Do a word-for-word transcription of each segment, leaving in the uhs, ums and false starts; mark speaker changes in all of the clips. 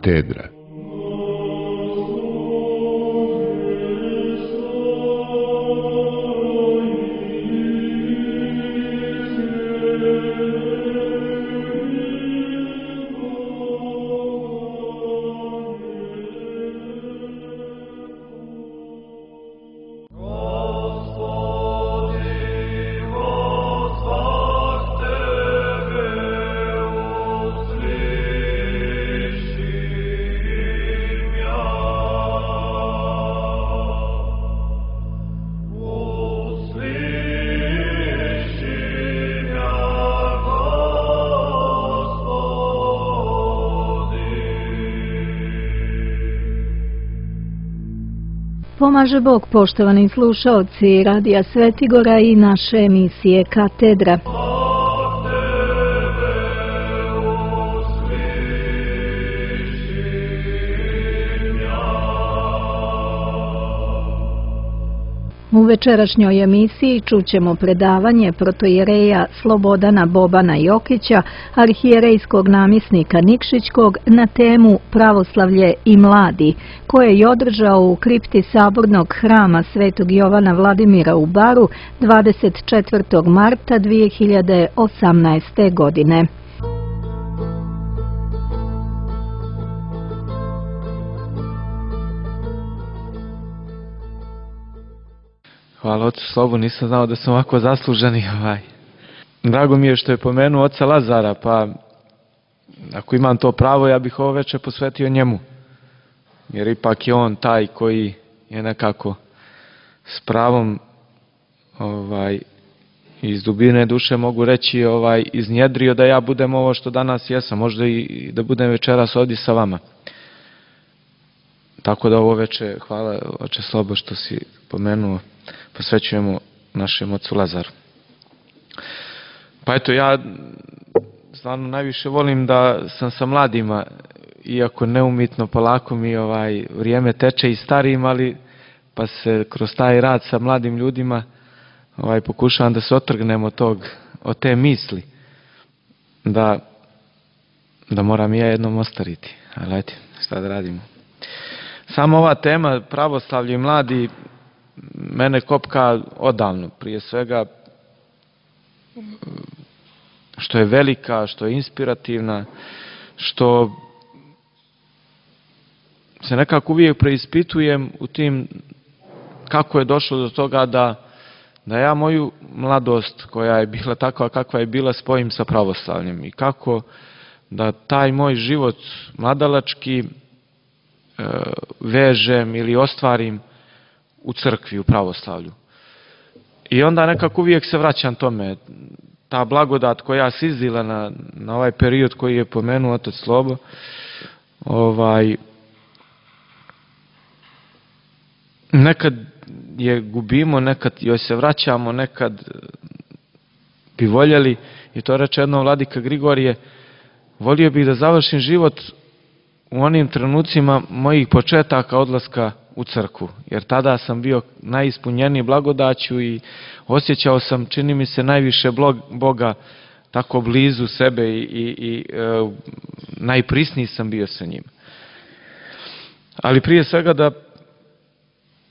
Speaker 1: Katedra.
Speaker 2: Pomaže Bog, poštovani slušaoci Radija Svetigora i naše emisije Katedra. U večerašnjoj emisiji čućemo predavanje protoijereja Slobodana Bobana Jokića, arhijerejskog namjesnika Nikšićkog, na temu Pravoslavlje i mladi, koje je održao u kripti Sabornog hrama Svetog Jovana Vladimira u Baru dvadeset četvrtog marta dvije hiljade osamnaeste. godine.
Speaker 3: Hvala ocu Slobu, nisam znao da sam ovako zasluženi. Ovaj. Drago mi je što je pomenuo oca Lazara, pa ako imam to pravo, ja bih ovo večer posvetio njemu. Jer ipak je on taj koji je nekako s pravom ovaj, iz dubine duše mogu reći ovaj, iznjedrio da ja budem ovo što danas jesam, možda i da budem večeras ovdje sa vama. Tako da ovo večer, hvala oče Slobo što si pomenuo, posvećujemo našem ocu Lazaru. Pa eto, ja stvarno najviše volim da sam sa mladima, iako neumitno polako mi ovaj vrijeme teče i starijim, ali pa se kroz taj rad sa mladim ljudima ovaj pokušavam da se otrgnem od tog, od te misli da da moram i ja jednom ostariti. Ali ajde, šta da radimo. Samo ova tema pravoslavlje i mladi mene kopka odavno, prije svega što je velika, što je inspirativna, što se nekako uvijek preispitujem u tim kako je došlo do toga da, da ja moju mladost koja je bila takva kakva je bila spojim sa pravoslavljem i kako da taj moj život mladalački e, vežem ili ostvarim u crkvi, u pravoslavlju. I onda nekako uvijek se vraćam tome. Ta blagodat koja se izdila na, na ovaj period koji je pomenuo otac Slobo, ovaj, nekad je gubimo, nekad joj se vraćamo, nekad bi voljeli, i to reče jednom vladika Grigorije, volio bih da završim život u onim trenucima mojih početaka odlaska u crkvu, jer tada sam bio najispunjeniji blagodaću i osjećao sam, čini mi se, najviše Boga tako blizu sebe i, i, i e, najprisniji sam bio sa njim. Ali prije svega da,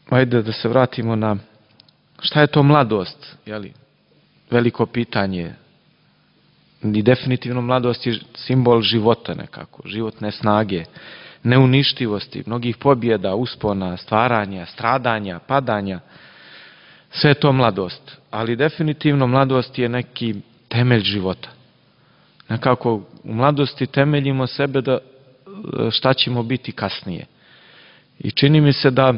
Speaker 3: ajde da se vratimo na šta je to mladost, jeli? Veliko pitanje. I definitivno mladost je simbol života nekako, životne snage, neuništivosti, mnogih pobjeda, uspona, stvaranja, stradanja, padanja. Sve je to mladost. Ali definitivno mladost je neki temelj života. Nekako u mladosti temeljimo sebe da šta ćemo biti kasnije. I čini mi se da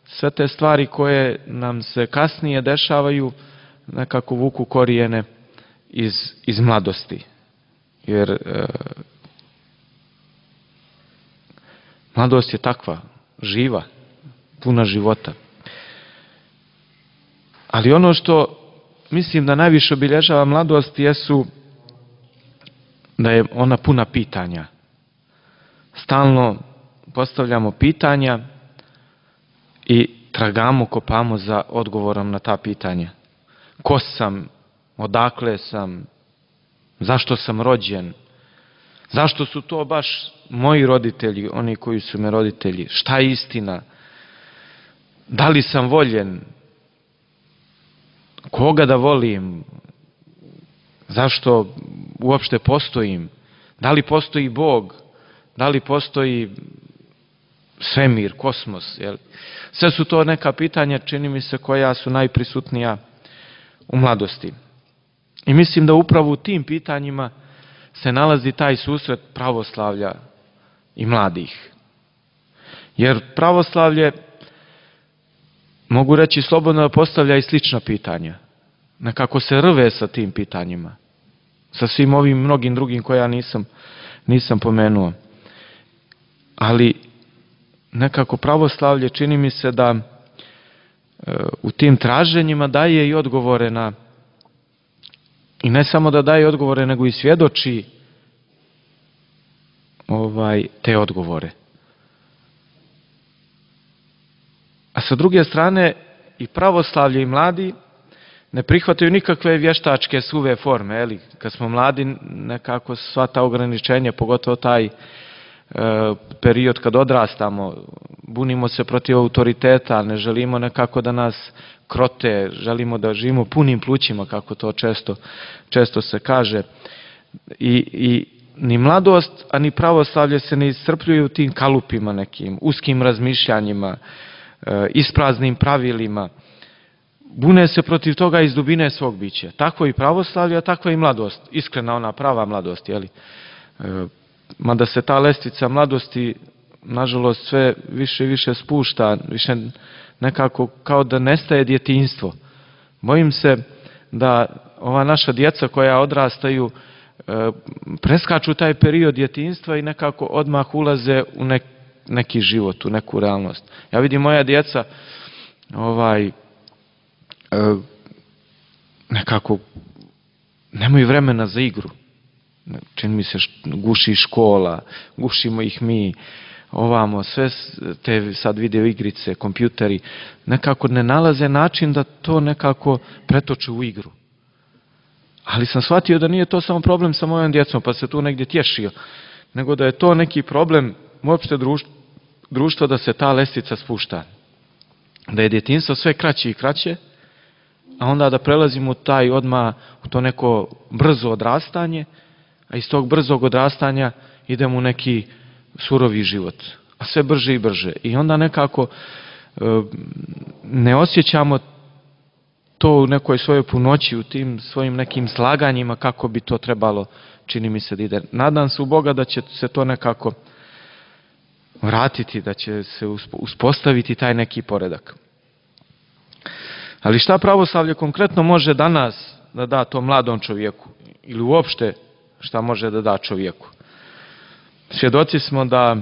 Speaker 3: sve te stvari koje nam se kasnije dešavaju nekako vuku korijene iz, iz mladosti. Jer e, mladost je takva, živa, puna života. Ali ono što mislim da najviše obilježava mladost jesu da je ona puna pitanja. Stalno postavljamo pitanja i tragamo, kopamo za odgovorom na ta pitanja. Ko sam? Odakle sam? Zašto sam rođen? Zašto su to baš moji roditelji, oni koji su me roditelji? Šta je istina? Da li sam voljen? Koga da volim? Zašto uopšte postojim? Da li postoji Bog? Da li postoji svemir, kosmos? Jel? Sve su to neka pitanja, čini mi se, koja su najprisutnija u mladosti. I mislim da upravo u tim pitanjima se nalazi taj susret pravoslavlja i mladih. Jer pravoslavlje, mogu reći slobodno, da postavlja i slična pitanja. Nekako se rve sa tim pitanjima. Sa svim ovim mnogim drugim koja nisam, nisam pomenuo. Ali nekako pravoslavlje, čini mi se da e, u tim traženjima daje i odgovore na, i ne samo da daje odgovore, nego i svjedoči ovaj, te odgovore. A sa druge strane, i pravoslavlje i mladi ne prihvataju nikakve vještačke suve forme. Eli, kad smo mladi, nekako sva ta ograničenja, pogotovo taj e, period kad odrastamo, bunimo se protiv autoriteta, ne želimo nekako da nas krote, želimo da živimo punim plućima, kako to često, često se kaže. I, i ni mladost, a ni pravoslavlje se ne iscrpljuju u tim kalupima nekim, uskim razmišljanjima, e, ispraznim pravilima. Bune se protiv toga iz dubine svog bića. Tako i pravoslavlje, a takva i mladost. Iskrena ona prava mladost, jeli? E, mada se ta lestvica mladosti, nažalost, sve više i više spušta, više nekako kao da nestaje djetinjstvo. Bojim se da ova naša djeca koja odrastaju e, preskaču taj period djetinjstva i nekako odmah ulaze u nek, neki život, u neku realnost. Ja vidim moja djeca ovaj, e, nekako nemaju vremena za igru. Čini mi se guši škola, gušimo ih mi, ovamo, sve te sad video igrice, kompjuteri, nekako ne nalaze način da to nekako pretoče u igru. Ali sam shvatio da nije to samo problem sa mojom djecom, pa se tu negdje tješio, nego da je to neki problem uopšte društva, društva da se ta lestvica spušta. Da je djetinjstvo sve kraće i kraće, a onda da prelazimo u taj odmah, u to neko brzo odrastanje, a iz tog brzog odrastanja idemo u neki surovi život, a sve brže i brže. I onda nekako e, ne osjećamo to u nekoj svojoj punoći, u tim svojim nekim slaganjima kako bi to trebalo, čini mi se, da ide. Nadam se u Boga da će se to nekako vratiti, da će se uspostaviti taj neki poredak. Ali šta pravoslavlje konkretno može danas da da tom mladom čovjeku? Ili uopšte šta može da da čovjeku? Svjedoci smo da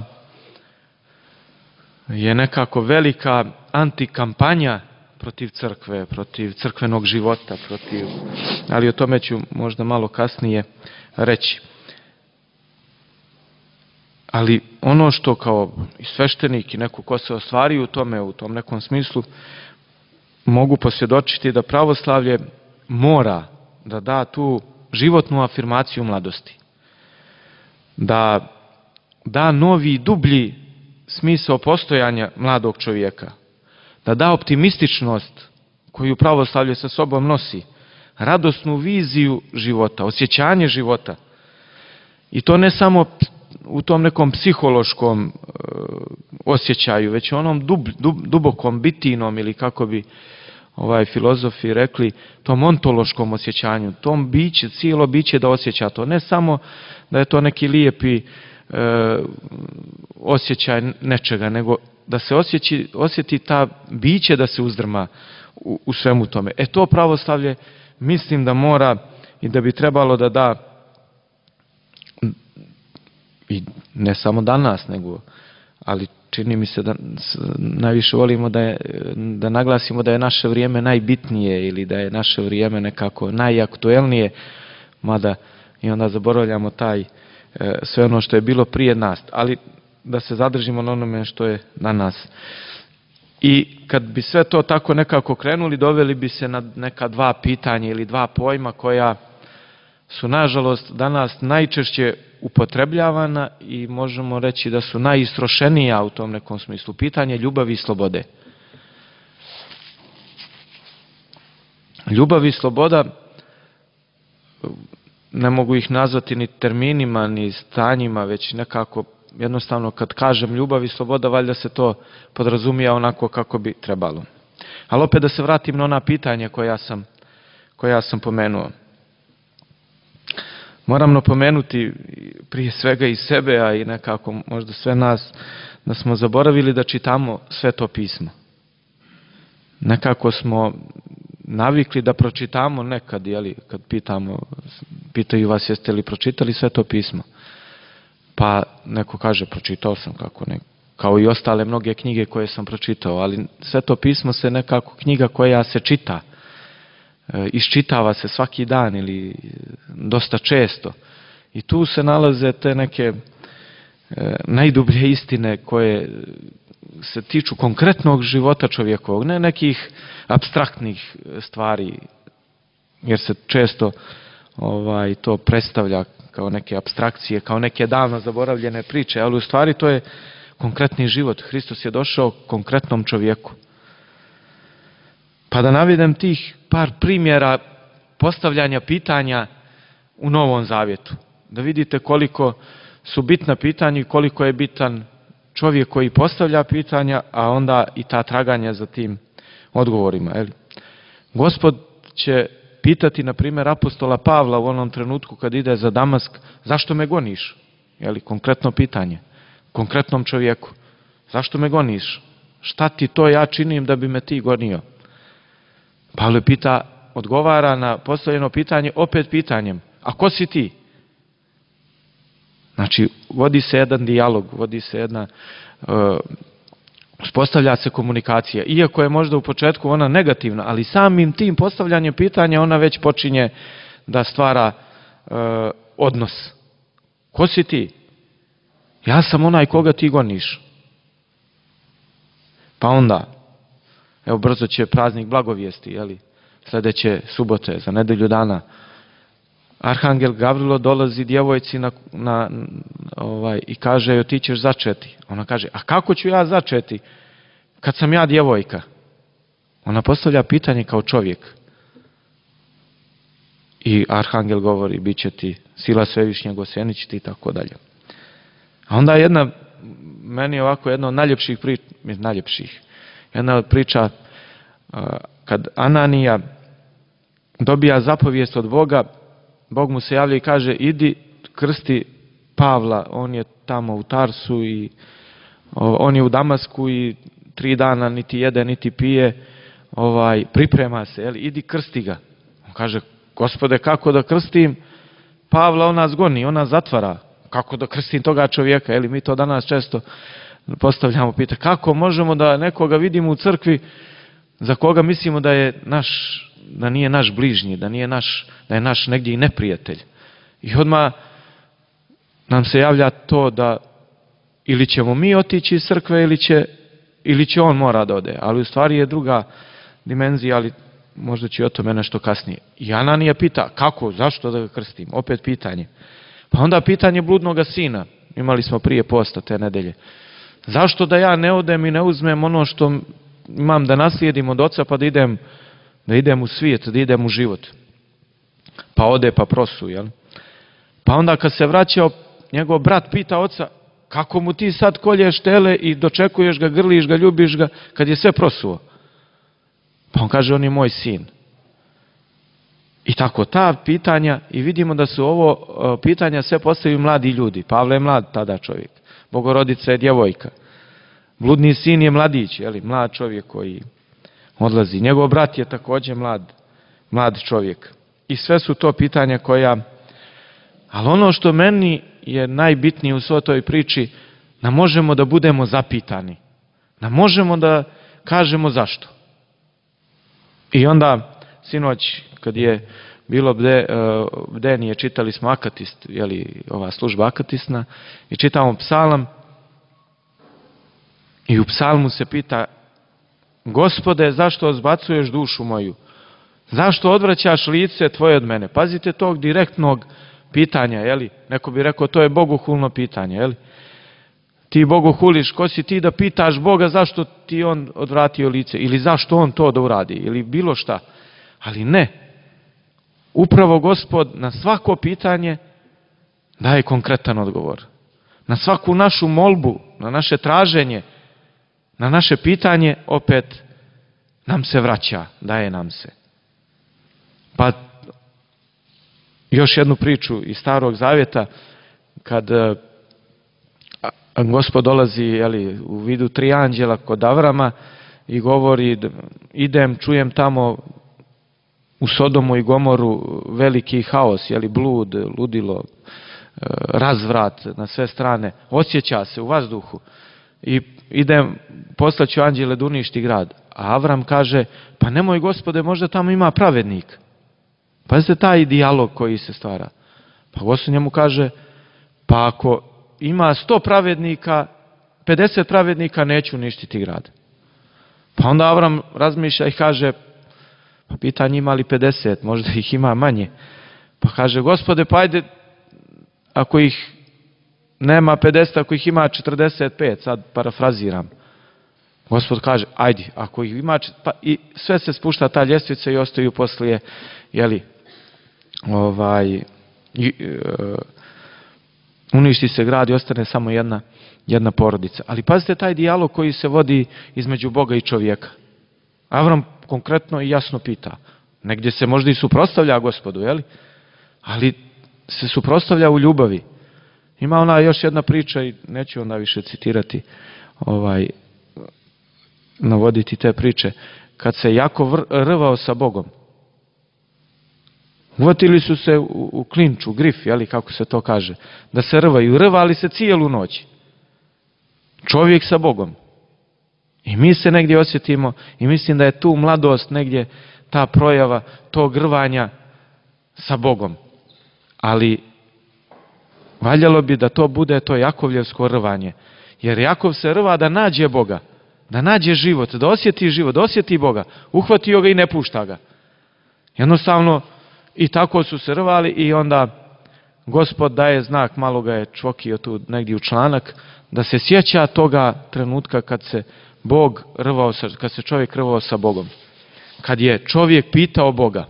Speaker 3: je nekako velika antikampanja protiv crkve, protiv crkvenog života, protiv, ali o tome ću možda malo kasnije reći. Ali ono što kao i sveštenik i neko ko se ostvari u tome, u tom nekom smislu, mogu posvjedočiti da pravoslavlje mora da da tu životnu afirmaciju mladosti. Da da novi, dublji smisao postojanja mladog čovjeka. Da da optimističnost koju pravoslavlje sa sobom nosi. Radosnu viziju života, osjećanje života. I to ne samo u tom nekom psihološkom e, osjećaju, već onom dub, dub, dubokom, bitijnom, ili kako bi ovaj filozofi rekli, tom ontološkom osjećanju, tom biće, cijelo biće da osjeća to. Ne samo da je to neki lijepi e, osjećaj nečega, nego da se osjeći, osjeti ta biće da se uzdrma u, u svemu tome. E to pravoslavlje mislim da mora i da bi trebalo da da, i ne samo danas, nego, ali čini mi se da najviše volimo da, je, da naglasimo da je naše vrijeme najbitnije ili da je naše vrijeme nekako najaktuelnije, mada i onda zaboravljamo taj sve ono što je bilo prije nas, ali da se zadržimo na onome što je na nas. I kad bi sve to tako nekako krenuli, doveli bi se na neka dva pitanja ili dva pojma koja su nažalost danas najčešće upotrebljavana i možemo reći da su najistrošenija u tom nekom smislu. Pitanje ljubavi i slobode. Ljubav i sloboda, ne mogu ih nazvati ni terminima, ni stanjima, već nekako jednostavno kad kažem ljubav i sloboda, valjda se to podrazumija onako kako bi trebalo. Ali opet da se vratim na ona pitanja koja sam, koja sam pomenuo. Moram napomenuti prije svega i sebe, a i nekako možda sve nas, da smo zaboravili da čitamo Sveto pismo. Nekako smo navikli da pročitamo nekad, jeli, kad pitamo, pitaju vas jeste li pročitali Sveto pismo. Pa neko kaže pročitao sam, kako ne, kao i ostale mnoge knjige koje sam pročitao, ali Sveto pismo se nekako knjiga koja se čita, e, iščitava se svaki dan ili dosta često. I tu se nalaze te neke e, najdublje istine koje se tiču konkretnog života čovjekovog, ne nekih apstraktnih stvari, jer se često ovaj, to predstavlja kao neke apstrakcije, kao neke davno zaboravljene priče, ali u stvari to je konkretni život. Hristos je došao konkretnom čovjeku. Pa da navedem tih par primjera postavljanja pitanja u Novom Zavjetu. Da vidite koliko su bitna pitanja i koliko je bitan čovjek koji postavlja pitanja, a onda i ta traganja za tim odgovorima. Jel? Gospod će pitati, na primjer, apostola Pavla u onom trenutku kad ide za Damask, zašto me goniš? Jel? Konkretno pitanje. Konkretnom čovjeku. Zašto me goniš? Šta ti to ja činim da bi me ti gonio? Pavle pita, odgovara na postavljeno pitanje opet pitanjem. A ko si ti? Znači, vodi se jedan dijalog, vodi se jedna, uh, uspostavlja se komunikacija. Iako je možda u početku ona negativna, ali samim tim postavljanjem pitanja ona već počinje da stvara uh, odnos. Ko si ti? Ja sam onaj koga ti goniš. Pa onda, evo brzo će praznik blagovijesti, jeli? Sljedeće subote, za nedelju dana, Arhangel Gavrilo dolazi djevojci na, na, ovaj, i kaže joj ti ćeš začeti. Ona kaže, a kako ću ja začeti kad sam ja djevojka? Ona postavlja pitanje kao čovjek. I Arhangel govori, bit će ti sila svevišnjeg, osjenit će ti i tako dalje. A onda jedna, meni je ovako jedna od najljepših priča, najljepših, jedna od priča kad Ananija dobija zapovijest od Boga, Bog mu se javlja i kaže, idi krsti Pavla, on je tamo u Tarsu i on je u Damasku i tri dana niti jede, niti pije, ovaj, priprema se, jeli, idi krsti ga. On kaže, Gospode, kako da krstim Pavla, on nas goni, on nas zatvara. Kako da krstim toga čovjeka? Jeli, mi to danas često postavljamo pitanje. Kako možemo da nekoga vidimo u crkvi za koga mislimo da je naš, da nije naš bližnji, da nije naš, da je naš negdje i neprijatelj. I odmah nam se javlja to da ili ćemo mi otići iz crkve ili će, ili će on mora da ode. Ali u stvari je druga dimenzija, ali možda će o tome nešto kasnije. I Ananija pita, kako, zašto da ga krstim? Opet pitanje. Pa onda pitanje bludnoga sina. Imali smo prije posta te nedelje. Zašto da ja ne odem i ne uzmem ono što imam da naslijedim od oca pa da idem, da idem u svijet, da idem u život? Pa ode pa prosu, jel? Pa onda kad se vraćao, njegov brat pita oca, kako mu ti sad kolješ tele i dočekuješ ga, grliš ga, ljubiš ga, kad je sve prosuo? Pa on kaže, on je moj sin. I tako ta pitanja, i vidimo da su ovo pitanja sve postavili mladi ljudi. Pavle je mlad tada čovjek. Bogorodica je djevojka. Bludni sin je mladić, jeli, mlad čovjek koji odlazi. Njegov brat je također mlad, mlad čovjek. I sve su to pitanja koja... Ali ono što meni je najbitnije u svoj toj priči, da možemo da budemo zapitani. Da možemo da kažemo zašto. I onda, sinoć, kad je bilo bde, bdenije, čitali smo Akatist, jeli, ova služba Akatisna, i čitamo psalam, i u psalmu se pita, Gospode, zašto odbacuješ dušu moju? Zašto odvraćaš lice tvoje od mene? Pazite tog direktnog pitanja, jeli? Neko bi rekao to je bogohulno pitanje, jeli? Ti bogohuliš, ko si ti da pitaš Boga zašto ti on odvratio lice ili zašto on to da uradi ili bilo šta. Ali ne. Upravo Gospod na svako pitanje daje konkretan odgovor. Na svaku našu molbu, na naše traženje, na naše pitanje opet nam se vraća, daje nam se. Pa još jednu priču iz Starog Zavjeta, kad Gospod dolazi, jeli, u vidu tri anđela kod Avrama i govori, idem, čujem tamo u Sodomu i Gomoru veliki haos, jeli, blud, ludilo, razvrat na sve strane, osjeća se u vazduhu i idem, poslaću anđele da uništi grad. A Avram kaže, pa nemoj Gospode, možda tamo ima pravednik. Pazite taj dijalog koji se stvara. Pa Gospod njemu kaže, pa ako ima sto pravednika, pedeset pravednika, neću uništiti grad. Pa onda Avram razmišlja i kaže, pa pitanje ima li pedeset, možda ih ima manje. Pa kaže, Gospode, pa ajde, ako ih nema pedeset, ako ih ima četrdeset pet, sad parafraziram. Gospod kaže, ajde, ako ih ima, pa i sve se spušta ta ljestvica i ostaju poslije, jeli, ovaj, i, e, uništi se grad i ostane samo jedna, jedna porodica. Ali pazite taj dijalog koji se vodi između Boga i čovjeka. Avram konkretno i jasno pita. Negdje se možda i suprotstavlja Gospodu, jeli? Ali se suprotstavlja u ljubavi. Ima ona još jedna priča i neću onda više citirati, ovaj, navoditi te priče. Kad se jako rvao sa Bogom, uvatili su se u, u klinču, grif, jeli, kako se to kaže, da se rvaju. Rvali se cijelu noć. Čovjek sa Bogom. I mi se negdje osjetimo i mislim da je tu mladost negdje ta projava tog rvanja sa Bogom. Ali valjalo bi da to bude to Jakovljevsko rvanje. Jer Jakov se rva da nađe Boga, da nađe život, da osjeti život, da osjeti Boga. Uhvatio ga i ne pušta ga. Jednostavno i tako su se rvali i onda Gospod daje znak, malo ga je čvokio tu negdje u članak, da se sjeća toga trenutka kad se Bog rvao, kad se čovjek rvao sa Bogom. Kad je čovjek pitao Boga.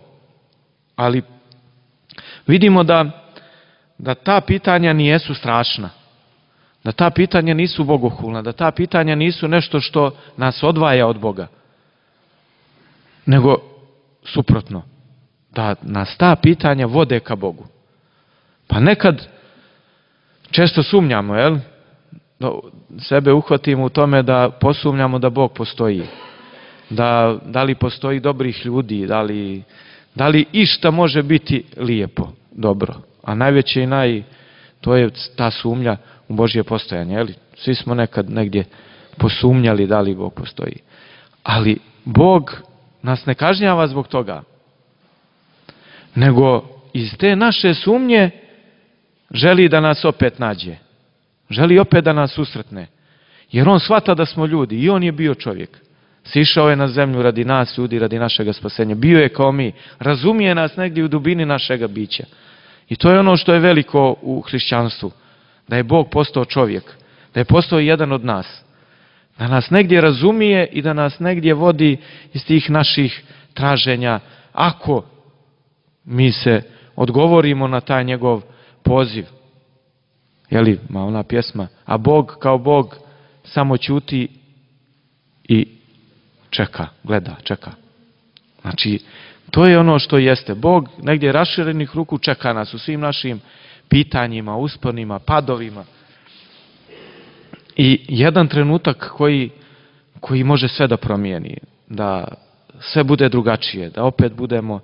Speaker 3: Ali vidimo da, da ta pitanja nijesu strašna. Da ta pitanja nisu bogohulna. Da ta pitanja nisu nešto što nas odvaja od Boga. Nego suprotno. Da nas ta pitanja vode ka Bogu. Pa nekad često sumnjamo, jel? Da sebe uhvatimo u tome da posumnjamo da Bog postoji. Da, da li postoji dobrih ljudi, da li, da li išta može biti lijepo, dobro. A najveće i naj, to je ta sumnja u Božje postojanje. Jel? Svi smo nekad negdje posumnjali da li Bog postoji. Ali Bog nas ne kažnjava zbog toga. Nego iz te naše sumnje želi da nas opet nađe. Želi opet da nas susretne. Jer on shvata da smo ljudi i on je bio čovjek. Sišao je na zemlju radi nas, ljudi, radi našega spasenja. Bio je kao mi. Razumije nas negdje u dubini našega bića. I to je ono što je veliko u hrišćanstvu. Da je Bog postao čovjek. Da je postao jedan od nas. Da nas negdje razumije i da nas negdje vodi iz tih naših traženja. Ako mi se odgovorimo na taj njegov poziv. Jeli, ma ona pjesma. A Bog kao Bog samo ćuti i čeka, gleda, čeka. Znači, to je ono što jeste. Bog negdje raširenih ruku čeka nas u svim našim pitanjima, usponima, padovima. I jedan trenutak koji, koji može sve da promijeni. Da sve bude drugačije. Da opet budemo,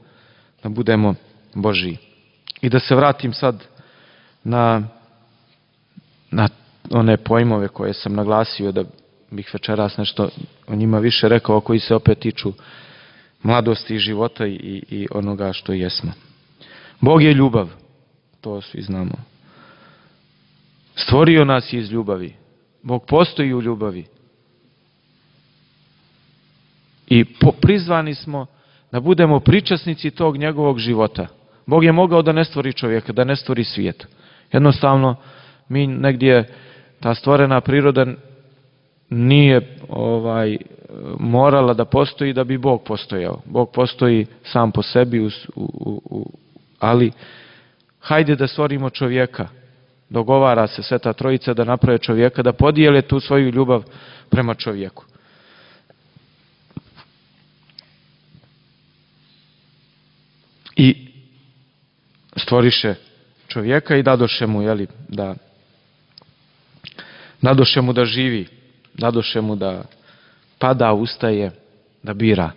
Speaker 3: da budemo Božji. I da se vratim sad na, na one pojmove koje sam naglasio, da bih večeras nešto o njima više rekao, koji se opet tiču mladosti i života i, i onoga što jesmo. Bog je ljubav, to svi znamo. Stvorio nas iz ljubavi. Bog postoji u ljubavi. I po, prizvani smo da budemo pričasnici tog njegovog života. Bog je mogao da ne stvori čovjeka, da ne stvori svijet. Jednostavno, mi negdje, ta stvorena priroda nije ovaj, morala da postoji da bi Bog postojao. Bog postoji sam po sebi, u, u, u, ali hajde da stvorimo čovjeka. Dogovara se Sveta Trojica da naprave čovjeka, da podijele tu svoju ljubav prema čovjeku. I stvoriše čovjeka i dadoše mu, jeli, da dadoše mu da živi, dadoše mu da pada, ustaje, da bira.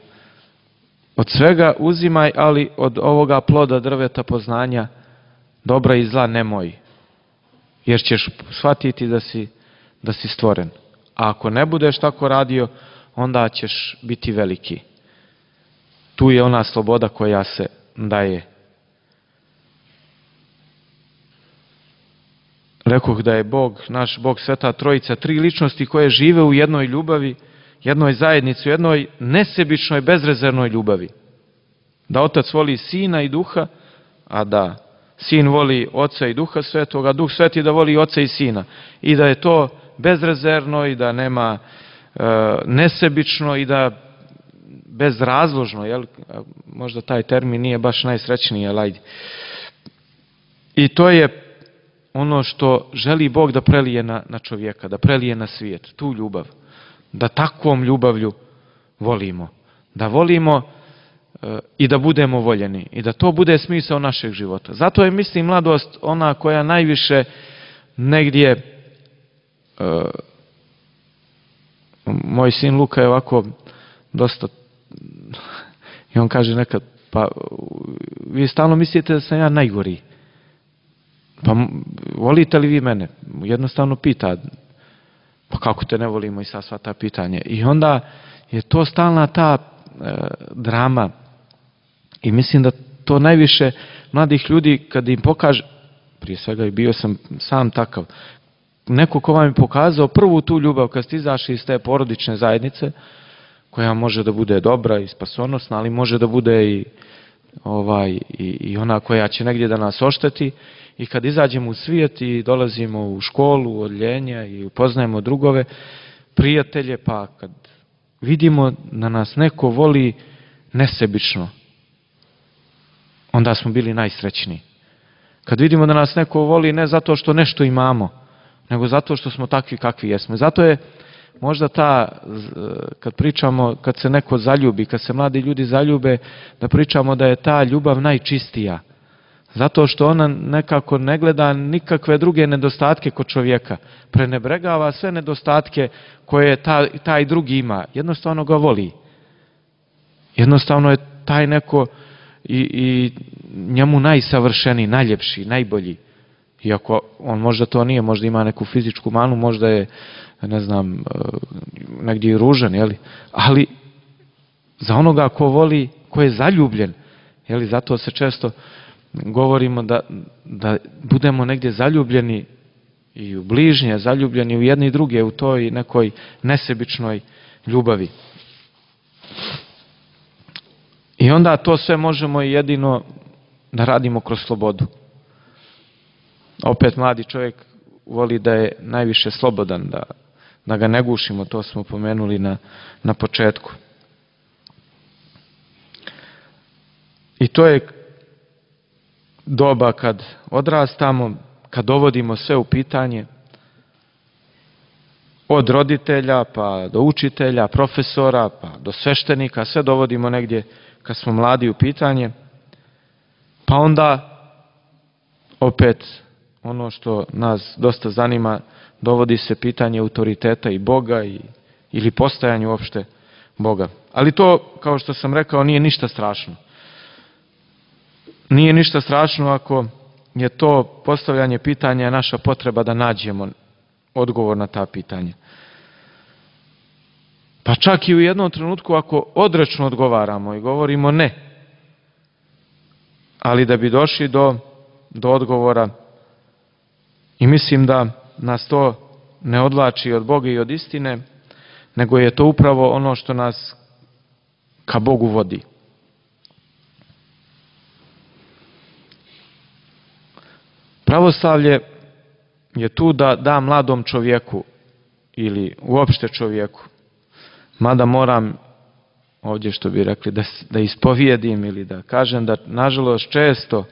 Speaker 3: Od svega uzimaj, ali od ovoga ploda drveta poznanja dobra i zla nemoj, jer ćeš shvatiti da si, da si stvoren. A ako ne budeš tako radio, onda ćeš biti veliki. Tu je ona sloboda koja se daje. Rekoh da je Bog, naš Bog, Sveta Trojica, tri ličnosti koje žive u jednoj ljubavi, jednoj zajednici, u jednoj nesebičnoj, bezrezervnoj ljubavi. Da Otac voli Sina i Duha, a da Sin voli Oca i Duha Svetoga, a Duh Sveti da voli Oca i Sina. I da je to bezrezervno i da nema e, nesebično i da bezrazložno, jel? Možda taj termin nije baš najsrećniji, ali ajde. I to je ono što želi Bog da prelije na, na čovjeka, da prelije na svijet, tu ljubav. Da takvom ljubavlju volimo. Da volimo e, i da budemo voljeni. I da to bude smisao našeg života. Zato je, mislim, mladost ona koja najviše negdje... E, moj sin Luka je ovako dosta... I on kaže nekad, pa vi stalno mislite da sam ja najgori. Pa volite li vi mene? Jednostavno pita, pa kako te ne volimo, i sad sva ta pitanje. I onda je to stalna ta e, drama. I mislim da to najviše mladih ljudi, kad im pokaže, prije svega i bio sam sam takav, neko ko vam je pokazao prvu tu ljubav kad ste izašli iz te porodične zajednice, koja može da bude dobra i spasonosna, ali može da bude i, ovaj, i, i ona koja će negdje da nas ošteti. I kad izađemo u svijet i dolazimo u školu, odljenja i upoznajemo drugove, prijatelje, pa kad vidimo da nas neko voli nesebično, onda smo bili najsrećniji. Kad vidimo da nas neko voli ne zato što nešto imamo, nego zato što smo takvi kakvi jesmo. Zato je možda ta, kad pričamo, kad se neko zaljubi, kad se mladi ljudi zaljube, da pričamo da je ta ljubav najčistija. Zato što ona nekako ne gleda nikakve druge nedostatke kod čovjeka. Prenebregava sve nedostatke koje taj, taj drugi ima. Jednostavno ga voli. Jednostavno je taj neko i, i njemu najsavršeniji, najljepši, najbolji. Iako on možda to nije, možda ima neku fizičku manu, možda je, ne znam, negdje i ružan, jeli? Ali za onoga ko voli, ko je zaljubljen, jeli? Zato se često govorimo da, da budemo negdje zaljubljeni i u bližnje, zaljubljeni u jedni i druge, u toj nekoj nesebičnoj ljubavi. I onda to sve možemo jedino da radimo kroz slobodu. Opet mladi čovjek voli da je najviše slobodan, da, da ga ne gušimo, to smo pomenuli na, na početku. I to je doba kad odrastamo, kad dovodimo sve u pitanje, od roditelja pa do učitelja, profesora pa do sveštenika, sve dovodimo negdje kad smo mladi u pitanje, pa onda opet ono što nas dosta zanima, dovodi se pitanje autoriteta i Boga i, ili postojanje uopšte Boga. Ali to, kao što sam rekao, nije ništa strašno. Nije ništa strašno ako je to postavljanje pitanja naša potreba da nađemo odgovor na ta pitanja. Pa čak i u jednom trenutku ako odrečno odgovaramo i govorimo ne, ali da bi došli do, do odgovora. I mislim da nas to ne odvlači od Boga i od istine, nego je to upravo ono što nas ka Bogu vodi. Pravoslavlje je tu da da mladom čovjeku ili uopšte čovjeku, mada moram ovdje, što bi rekli, da, da ispovijedim ili da kažem da nažalost često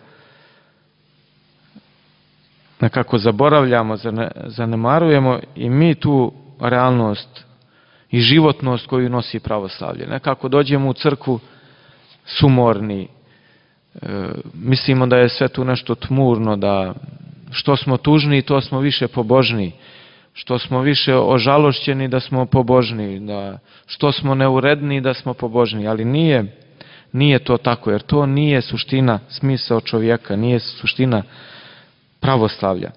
Speaker 3: nekako zaboravljamo, zanemarujemo i mi tu realnost i životnost koju nosi pravoslavlje. Nekako dođemo u crkvu sumorni, e, mislimo da je sve tu nešto tmurno, da što smo tužni to smo više pobožni, što smo više ožalošćeni da smo pobožni, da što smo neuredni da smo pobožni, ali nije, nije to tako, jer to nije suština, smisao čovjeka, nije suština pravoslavlja.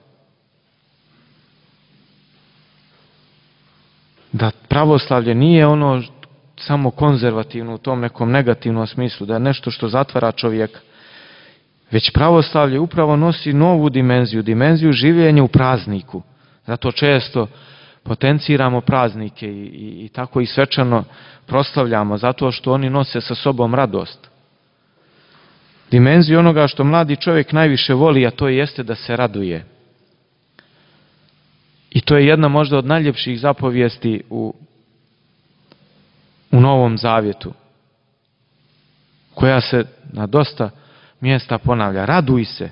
Speaker 3: Da pravoslavlje nije ono samo konzervativno u tom nekom negativnom smislu, da je nešto što zatvara čovjeka, već pravoslavlje upravo nosi novu dimenziju, dimenziju življenja u prazniku. Zato često potenciramo praznike i, i, i tako i svečano proslavljamo, zato što oni nose sa sobom radost. Dimenziju onoga što mladi čovjek najviše voli, a to jeste da se raduje. I to je jedna možda od najljepših zapovijesti u, u Novom Zavjetu, koja se na dosta mjesta ponavlja. Raduj se.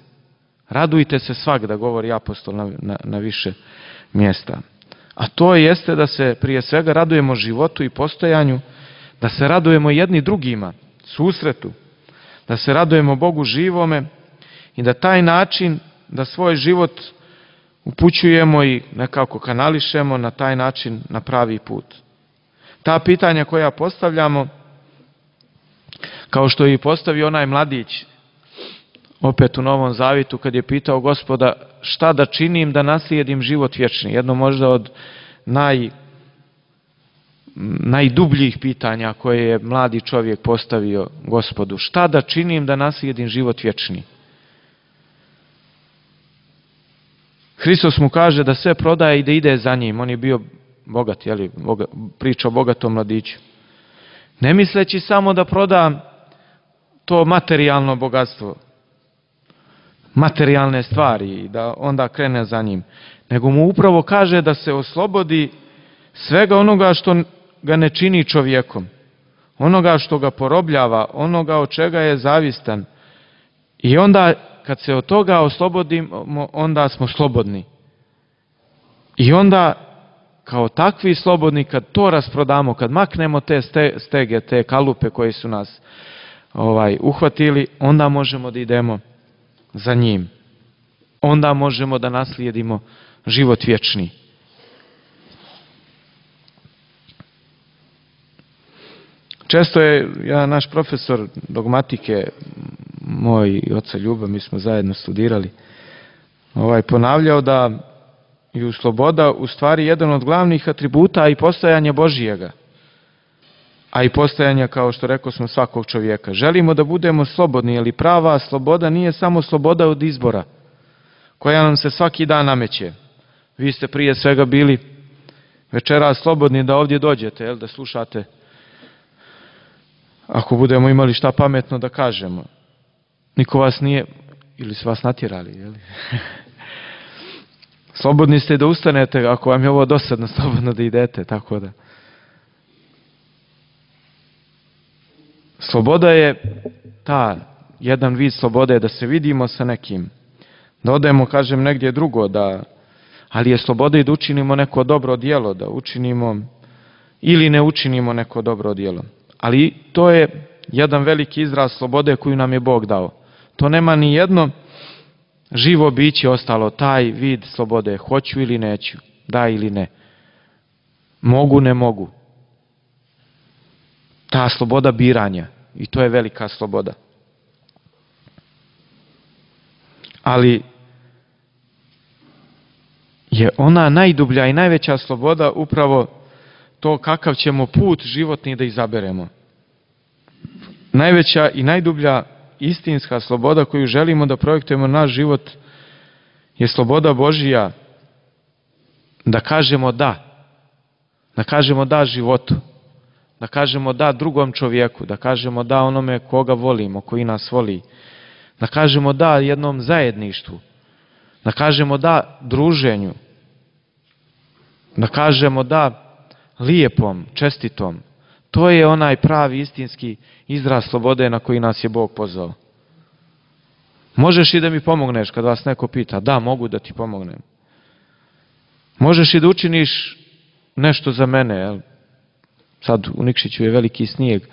Speaker 3: Radujte se svagda, govori apostol na, na, na više mjesta. A to jeste da se prije svega radujemo životu i postojanju, da se radujemo jedni drugima, susretu, da se radujemo Bogu živome i da taj način, da svoj život upućujemo i nekako kanališemo na taj način na pravi put. Ta pitanja koja postavljamo, kao što je i postavio onaj mladić, opet u Novom Zavjetu, kad je pitao Gospoda šta da činim da naslijedim život vječni. Jedno možda od naj, najdubljih pitanja koje je mladi čovjek postavio Gospodu. Šta da činim da naslijedim život vječni? Hristos mu kaže da sve prodaje i da ide za njim. On je bio bogat, jeli, boga, priča o bogatom mladiću. Ne misleći samo da proda to materijalno bogatstvo, materijalne stvari i da onda krene za njim, nego mu upravo kaže da se oslobodi svega onoga što ga ne čini čovjekom, onoga što ga porobljava, onoga od čega je zavistan. I onda kad se od toga oslobodimo, onda smo slobodni. I onda kao takvi slobodni, kad to rasprodamo, kad maknemo te stege, te kalupe koje su nas ovaj, uhvatili, onda možemo da idemo za njim. Onda možemo da naslijedimo život vječni. Često je ja, naš profesor dogmatike, moj oca Ljuba, mi smo zajedno studirali, ovaj, ponavljao da je sloboda u stvari jedan od glavnih atributa i postojanja Božijega, a i postojanja, kao što rekao smo, svakog čovjeka. Želimo da budemo slobodni, ali prava sloboda nije samo sloboda od izbora, koja nam se svaki dan nameće. Vi ste prije svega bili večeras slobodni da ovdje dođete, jel, da slušate, ako budemo imali šta pametno da kažemo. Niko vas nije, ili su vas natjerali, jel? Slobodni ste da ustanete, ako vam je ovo dosadno, slobodno da idete, tako da. Sloboda je ta, jedan vid slobode je da se vidimo sa nekim, da odemo, kažem, negdje drugo, da, ali je sloboda i da učinimo neko dobro djelo, da učinimo ili ne učinimo neko dobro djelo. Ali to je jedan veliki izraz slobode koju nam je Bog dao. To nema ni jedno živo biće ostalo, taj vid slobode, hoću ili neću, da ili ne, mogu, ne mogu. Ta sloboda biranja, i to je velika sloboda. Ali je ona najdublja i najveća sloboda upravo to kakav ćemo put životni da izaberemo. Najveća i najdublja istinska sloboda koju želimo da projektujemo naš život je sloboda Božija da kažemo da. Da kažemo da životu. Da kažemo da drugom čovjeku. Da kažemo da onome koga volimo, koji nas voli. Da kažemo da jednom zajedništvu. Da kažemo da druženju. Da kažemo da lijepom, čestitom. To je onaj pravi istinski izraz slobode na koji nas je Bog pozvao. Možeš i da mi pomogneš kad vas neko pita. Da, mogu da ti pomognem. Možeš i da učiniš nešto za mene. Jel? Sad u Nikšiću je veliki snijeg,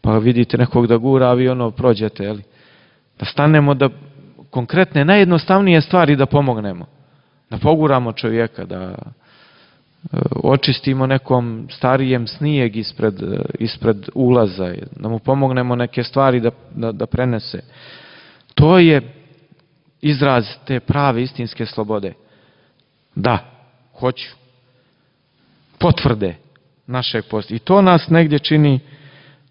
Speaker 3: pa vidite nekog da gura, a vi ono prođete. Jel? Da stanemo da konkretne, najjednostavnije stvari da pomognemo. Da poguramo čovjeka, da očistimo nekom starijem snijeg ispred, ispred ulaza, da mu pomognemo neke stvari da, da, da prenese. To je izraz te prave istinske slobode. Da, hoću. Potvrde našeg posta. I to nas negdje čini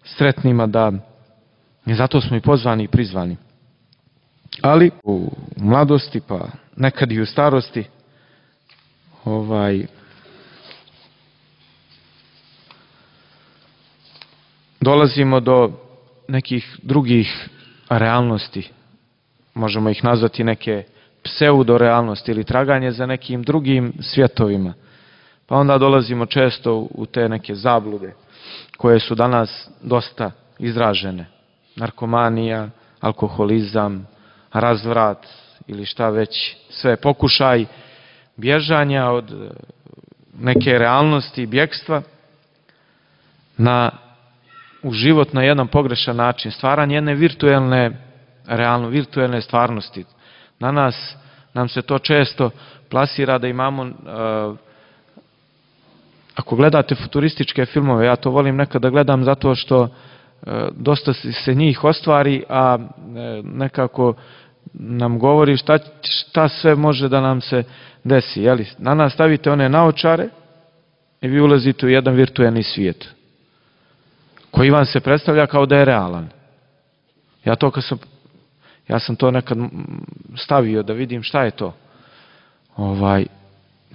Speaker 3: sretnima da, i zato smo i pozvani i prizvani. Ali u mladosti, pa nekad i u starosti, ovaj, dolazimo do nekih drugih realnosti. Možemo ih nazvati neke pseudorealnosti ili traganje za nekim drugim svjetovima. Pa onda dolazimo često u te neke zablude koje su danas dosta izražene. Narkomanija, alkoholizam, razvrat ili šta već, sve pokušaj bježanja od neke realnosti, bjegstva na, u život na jedan pogrešan način, stvaranje jedne virtuelne, realno virtuelne stvarnosti. Na nas, nam se to često plasira da imamo, uh, ako gledate futurističke filmove, ja to volim nekada gledam zato što uh, dosta se njih ostvari, a uh, nekako nam govori šta, šta sve može da nam se desi. Jeli? Na nas stavite one naočare i vi ulazite u jedan virtuelni svijet koji vam se predstavlja kao da je realan. Ja to kad sam, ja sam to nekad stavio da vidim šta je to. Ovaj,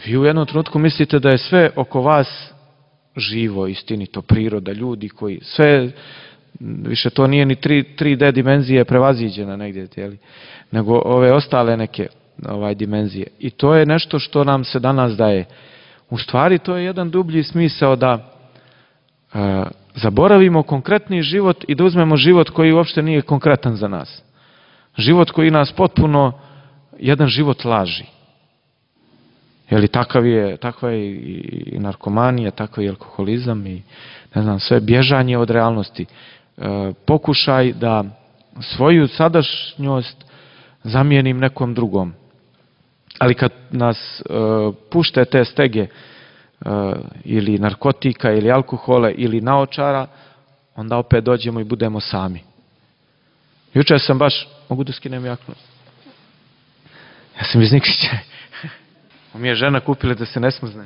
Speaker 3: vi u jednom trenutku mislite da je sve oko vas živo, istinito, priroda, ljudi koji, sve, više to nije ni tri D dimenzije prevaziđena negdje, jeli? Nego ove ostale neke ovaj, dimenzije. I to je nešto što nam se danas daje. U stvari to je jedan dublji smisao da e, zaboravimo konkretni život i da uzmemo život koji uopšte nije konkretan za nas. Život koji nas potpuno, jedan život laži. Jeli, takav je, takva je i narkomanija, takav je alkoholizam i ne znam, sve bježanje od realnosti. E, pokušaj da svoju sadašnjost zamijenim nekom drugom. Ali kad nas e, pušte te stege e, ili narkotika ili alkohole ili naočara, onda opet dođemo i budemo sami. Jučer sam baš, mogu da skinem jaknu? Ja sam iz Nikšića. Mi je žena kupila da se ne smrzne.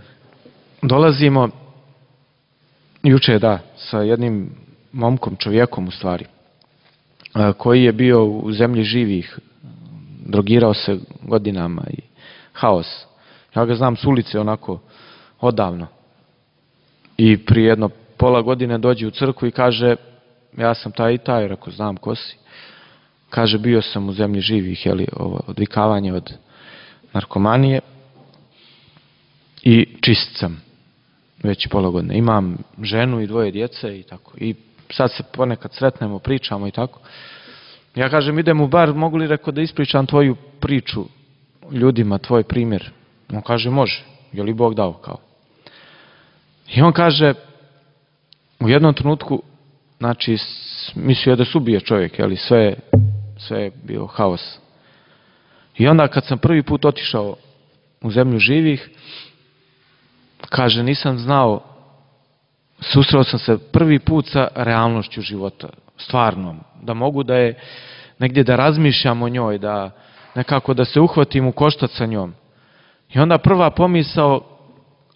Speaker 3: Dolazimo, jučer da, sa jednim momkom, čovjekom u stvari, koji je bio u zemlji živih, drogirao se godinama i haos. Ja ga znam s ulice onako odavno. I prije jedno pola godine dođe u crkvu i kaže, ja sam taj i taj, rekao, znam ko si. Kaže, bio sam u zemlji živih, jeli, ovo, odvikavanje od narkomanije i čist sam već pola godine. Imam ženu i dvoje djece i tako. I sad se ponekad sretnemo, pričamo i tako. Ja kažem, idem u bar, mogu li, rekao, da ispričam tvoju priču ljudima, tvoj primjer? On kaže, može. Je li Bog dao kao? I on kaže, u jednom trenutku, znači, mislio je da se ubije čovjek, jeli, sve, sve je bio haos. I onda kad sam prvi put otišao u zemlju živih, kaže, nisam znao, susreo sam se prvi put sa realnošću života, stvarnom, da mogu da je negdje da razmišljam o njoj, da nekako da se uhvatim u koštac sa njom. I onda prva pomisao,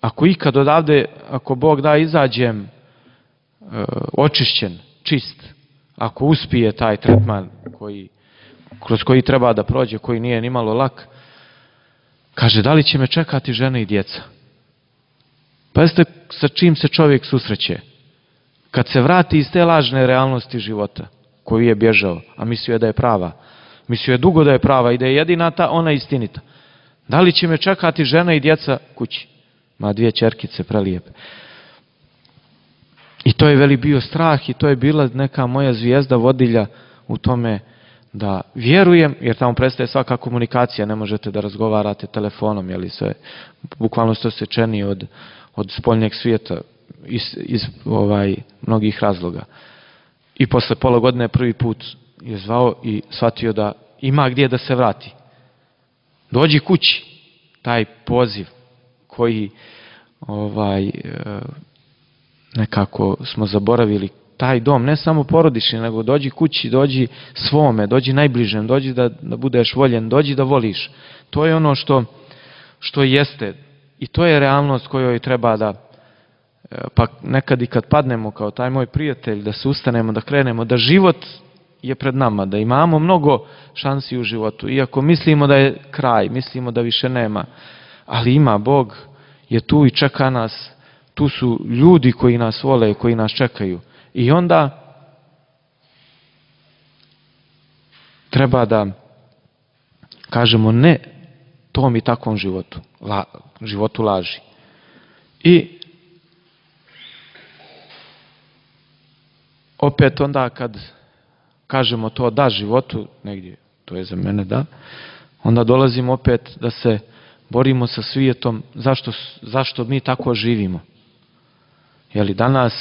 Speaker 3: ako ikad odavde, ako Bog da, izađem e, očišćen, čist, ako uspije taj tretman koji, kroz koji treba da prođe, koji nije nimalo lak, kaže, da li će me čekati žena i djeca? Pa jeste sa čim se čovjek susreće? Kad se vrati iz te lažne realnosti života koju je bježao, a mislio je da je prava. Mislio je dugo da je prava i da je jedina ta, ona istinita. Da li će me čekati žena i djeca kući? Ma dvije ćerkice prelijepe. I to je veli bio strah i to je bila neka moja zvijezda vodilja u tome da vjerujem, jer tamo prestaje svaka komunikacija, ne možete da razgovarate telefonom, jeli sve, bukvalno ste osjećeni od, od spoljnjeg svijeta iz, iz ovaj, mnogih razloga. I posle pola godine prvi put je zvao i shvatio da ima gdje da se vrati. Dođi kući, taj poziv koji ovaj, nekako smo zaboravili, taj dom, ne samo porodični, nego dođi kući, dođi svome, dođi najbližem, dođi da, da budeš voljen, dođi da voliš. To je ono što, što jeste i to je realnost kojoj treba da, pa nekad i kad padnemo kao taj moj prijatelj, da se ustanemo, da krenemo, da život je pred nama, da imamo mnogo šansi u životu, iako mislimo da je kraj, mislimo da više nema, ali ima, Bog je tu i čeka nas, tu su ljudi koji nas vole, koji nas čekaju. I onda treba da kažemo ne tom i takvom životu, la, životu laži. I opet onda kad kažemo to da životu, negdje, to je za mene da, onda dolazimo opet da se borimo sa svijetom, zašto, zašto mi tako živimo. Jeli danas,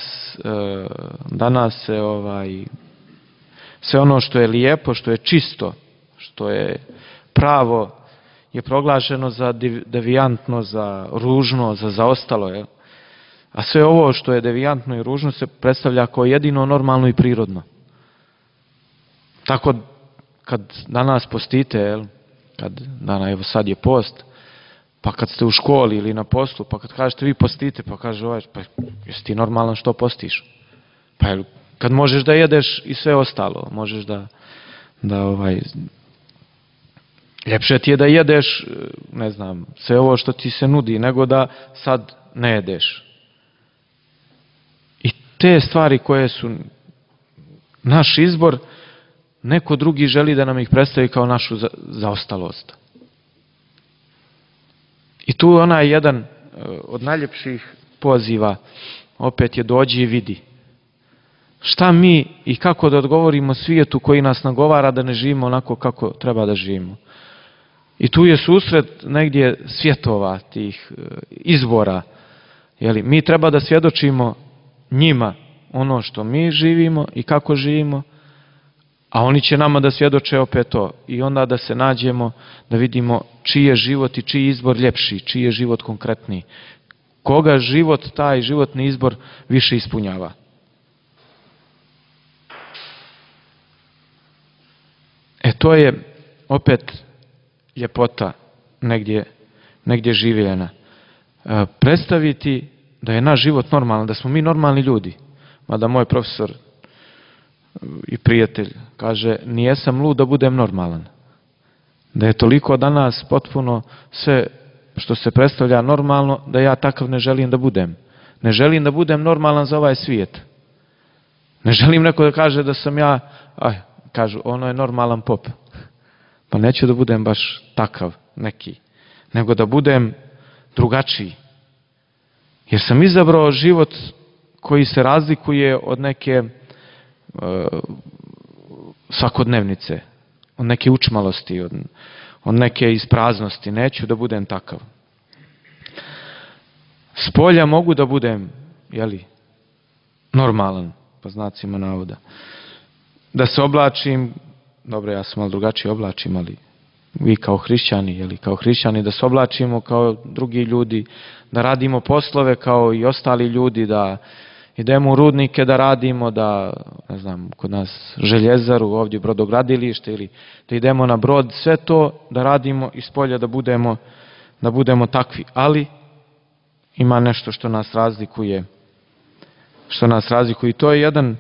Speaker 3: danas se ovaj, sve ono što je lijepo, što je čisto, što je pravo, je proglašeno za devijantno, za ružno, za zaostalo. Je. A sve ovo što je devijantno i ružno se predstavlja kao jedino normalno i prirodno. Tako kad danas postite, jel, kad dana, evo sad je post, pa kad ste u školi ili na poslu, pa kad kažete vi postite, pa kaže ovaj, pa jesi ti normalan što postiš? Pa jel, kad možeš da jedeš i sve ostalo, možeš da, da ovaj, ljepše ti je da jedeš, ne znam, sve ovo što ti se nudi, nego da sad ne jedeš. I te stvari koje su naš izbor, neko drugi želi da nam ih predstavi kao našu zaostalost. I tu onaj jedan od najljepših poziva opet je dođi i vidi. Šta mi i kako da odgovorimo svijetu koji nas nagovara da ne živimo onako kako treba da živimo. I tu je susret negdje svjetova tih izbora. Jeli, mi treba da svjedočimo njima ono što mi živimo i kako živimo, a oni će nama da svjedoče opet to. I onda da se nađemo, da vidimo čiji je život i čiji izbor ljepši, čiji je život konkretniji. Koga život, taj životni izbor više ispunjava. E to je opet ljepota negdje, negdje življena. E, predstaviti da je naš život normalan, da smo mi normalni ljudi. Mada moj profesor i prijatelj kaže, nijesam lud da budem normalan. Da je toliko danas potpuno sve što se predstavlja normalno, da ja takav ne želim da budem. Ne želim da budem normalan za ovaj svijet. Ne želim neko da kaže da sam ja, aj, kažu, ono je normalan pop. Pa neću da budem baš takav neki, nego da budem drugačiji. Jer sam izabrao život koji se razlikuje od neke svakodnevnice, od neke učmalosti, od, od neke ispraznosti. Neću da budem takav. S polja mogu da budem, jeli, normalan, po znacima navoda. Da se oblačim, dobro, ja sam malo drugačije oblačim, ali vi kao hrišćani, jeli, kao hrišćani, da se oblačimo kao drugi ljudi, da radimo poslove kao i ostali ljudi, da idemo u rudnike da radimo, da, ne znam, kod nas željezaru, ovdje brodogradilište, ili da idemo na brod, sve to da radimo iz polja, da budemo, da budemo takvi. Ali ima nešto što nas razlikuje, što nas razlikuje. I to je jedan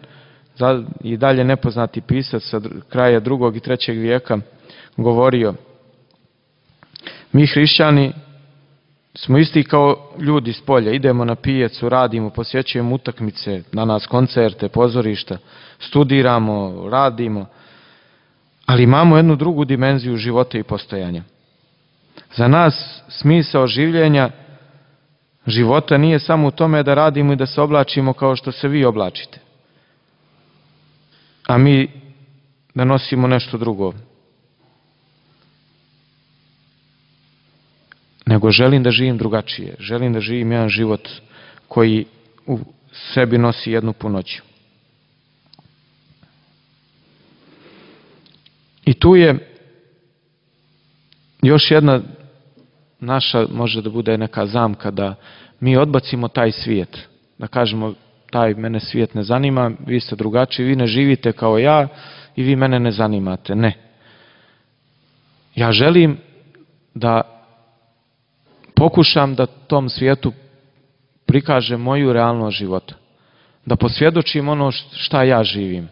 Speaker 3: i dalje nepoznati pisac sa kraja drugog i trećeg vijeka govorio. Mi hrišćani smo isti kao ljudi s polja, idemo na pijacu, radimo, posjećujemo utakmice, na nas koncerte, pozorišta, studiramo, radimo, ali imamo jednu drugu dimenziju života i postojanja. Za nas smisao življenja života nije samo u tome da radimo i da se oblačimo kao što se vi oblačite, a mi da nosimo nešto drugo. Nego želim da živim drugačije. Želim da živim jedan život koji u sebi nosi jednu punoću. I tu je još jedna naša, može da bude neka zamka, da mi odbacimo taj svijet. Da kažemo, taj mene svijet ne zanima, vi ste drugačiji, vi ne živite kao ja i vi mene ne zanimate. Ne. Ja želim da pokušam da tom svijetu prikažem moju realnost života. Da posvjedočim ono šta ja živim.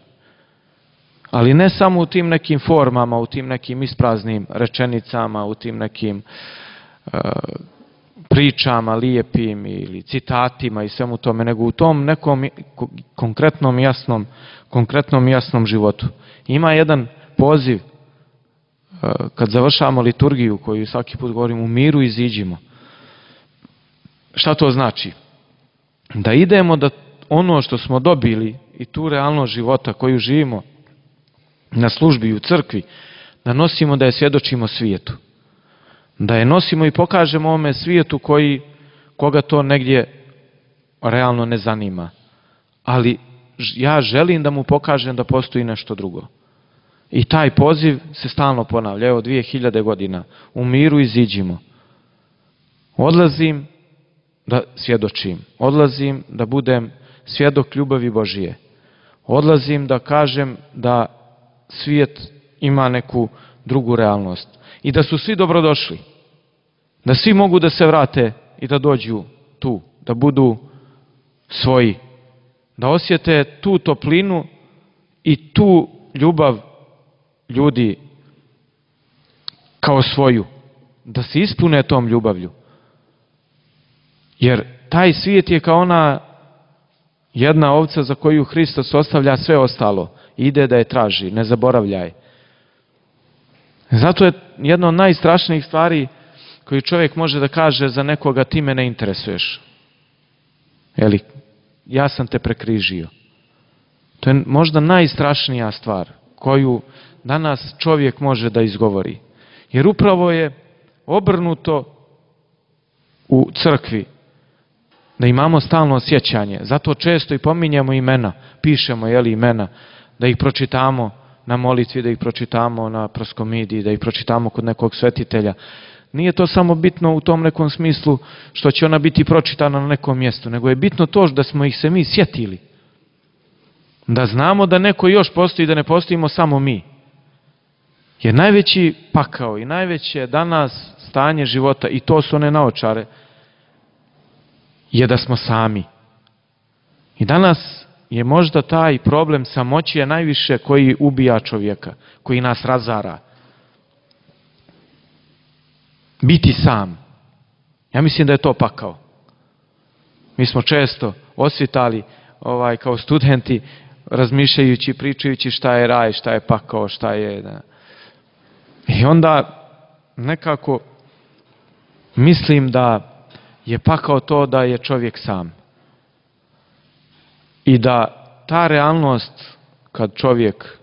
Speaker 3: Ali ne samo u tim nekim formama, u tim nekim ispraznim rečenicama, u tim nekim uh, pričama lijepim ili citatima i svemu tome, nego u tom nekom konkretnom jasnom, konkretnom jasnom životu. Ima jedan poziv uh, kad završavamo liturgiju, koju svaki put govorim, u miru iziđimo. Šta to znači? Da idemo da ono što smo dobili i tu realnost života koju živimo na službi i u crkvi, da nosimo, da je svjedočimo svijetu. Da je nosimo i pokažemo ovome svijetu koji, koga to negdje realno ne zanima. Ali ja želim da mu pokažem da postoji nešto drugo. I taj poziv se stalno ponavlja. Evo dvije hiljade godina. U miru iziđimo. Odlazim da svjedočim. Odlazim da budem svjedok ljubavi Božije. Odlazim da kažem da svijet ima neku drugu realnost. I da su svi dobrodošli. Da svi mogu da se vrate i da dođu tu. Da budu svoji. Da osjete tu toplinu i tu ljubav ljudi kao svoju. Da se ispune tom ljubavlju. Jer taj svijet je kao ona jedna ovca za koju Hristos ostavlja sve ostalo. Ide da je traži, ne zaboravljaj. Zato je jedna od najstrašnijih stvari koju čovjek može da kaže za nekoga, ti me ne interesuješ. Jeli, ja sam te prekrižio. To je možda najstrašnija stvar koju danas čovjek može da izgovori. Jer upravo je obrnuto u crkvi da imamo stalno sjećanje. Zato često i pominjemo imena, pišemo jeli, imena, da ih pročitamo na molitvi, da ih pročitamo na proskomidiji, da ih pročitamo kod nekog svetitelja. Nije to samo bitno u tom nekom smislu što će ona biti pročitana na nekom mjestu, nego je bitno to da smo ih se mi sjetili. Da znamo da neko još postoji, da ne postojimo samo mi. Jer najveći pakao i najveće danas stanje života, i to su one naočare, je da smo sami. I danas je možda taj problem samoće najviše koji ubija čovjeka, koji nas razara. Biti sam. Ja mislim da je to pakao. Mi smo često osvitali ovaj, kao studenti, razmišljajući, pričajući šta je raj, šta je pakao, šta je... Da. I onda nekako mislim da je pakao to da je čovjek sam. I da ta realnost, kad čovjek,